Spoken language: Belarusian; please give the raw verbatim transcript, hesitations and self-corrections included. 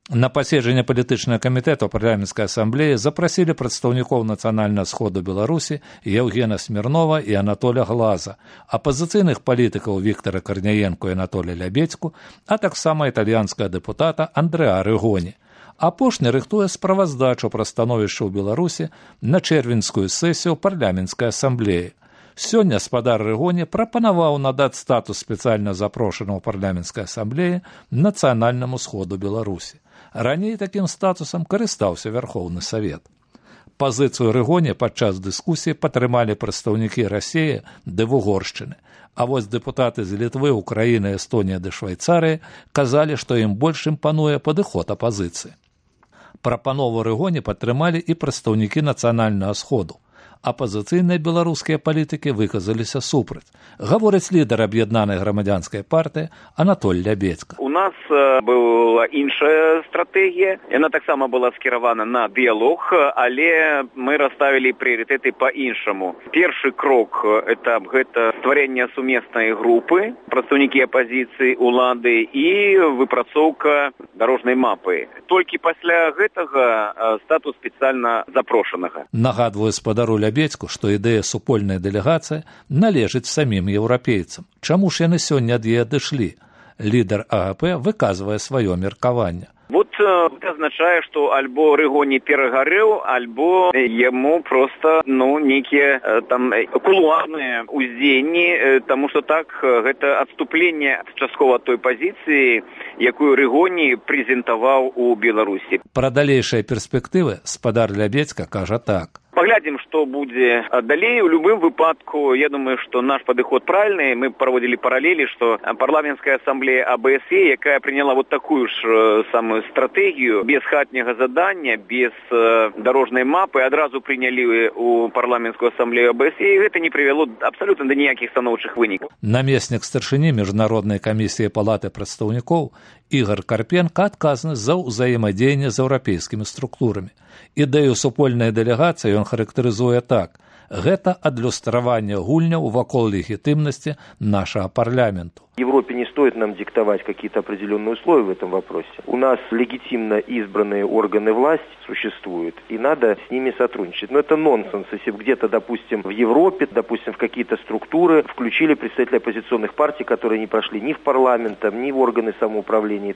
На паседжанне палітычнага камітэта парламенцкай асамблеі запрасілі прадстаўнікоў нацыянальнага сходу Беларусі Евгена Смірнова і Анатоля Глаза, апазіцыйных палітыкаў Віктара Карняенко і Анатоля Лябедзьку, а таксама італьянскага дэпутата Андрэа Рыгоні. Апошні рыхтуе справаздачу пра становішча ў Беларусі на чэрвеньскую сесію парламенцкай асамблеі. Сёння спадар Рыгоні прапанаваў надаць статус спецыяльна запрошанага ў парламенцкай асамблеі нацыянальнаму сходу Беларусі. Раней такім статусам карыстаўся Вярхоўны Савет. Пазіцыю Рыгоні падчас дыскусіі падтрымалі прадстаўнікі Расіі ды Вугоршчыны, а вось дэпутаты з Літвы, Украіны, Эстонія ды Швайцарыі казалі, што ім больш імпануе падыход апазіцыі. Прапанову Рыгоні падтрымалі і прадстаўнікі нацыянальнага сходу. Апазіцыйныя беларускія палітыкі выказаліся супраць. Гаворыць лідар аб'яднанай грамадзянскай партыі Анатоль Лябедзька. У нас была іншая стратэгія. Яна таксама была скіравана на дыялог, але мы расставілі прыярытэты па-іншаму. Першы крок это гэта стварэнне сумеснай групы, прадстаўнікі апазіцыі, улады і выпрацоўка дарожнай мапы. Толькі пасля гэтага статус спецыяльна запрошанага. Нагадваю спадару Лябедзьку, што ідэя супольнай дэлегацыі належыць самім еўрапейцам. Чаму ж яны сёння ад яе адышлі? Лідар АГП выказвае сваё меркаванне. Вот это означае, што альбо Рыгоні перагарэў, альбо яму проста ну нейкія там кулуарныя ўздзеянні, таму што так гэта адступленне часткова той пазіцыі, якую Рыгоні прэзентаваў у Беларусі. Пра далейшыя перспектывы спадар Лябедзька кажа так. Паглядзім, што будзе далей. У любым выпадку, я думаю, што наш падыход правільны. Мы праводзілі паралелі, што парламенцкая асамблея АБСЕ, якая прыняла вот такую ж самую стратэгію, без хатняга задання, без дарожнай мапы, адразу прынялі у парламенцкую асамблею АБСЕ, і гэта не прывяло абсалютна да ніякіх станоўчых вынікаў. Намеснік старшыні міжнароднай камісіі палаты прадстаўнікоў Ігор Карпенка адказны за ўзаемадзеянне з еўрапейскімі структурамі. Ідэю супольнай дэлегацыі ён характарызуе так. Гэта адлюстраванне гульняў вакол легітымнасці нашага парламенту. Европе не стоит нам диктовать какие-то определенные условия в этом вопросе. У нас легитимно избранные органы власти существуют, и надо с ними сотрудничать. Но это нонсенс, если бы где-то, допустим, в Европе, допустим, в какие-то структуры включили представителей оппозиционных партий, которые не прошли ни в парламент, ни в органы самоуправления.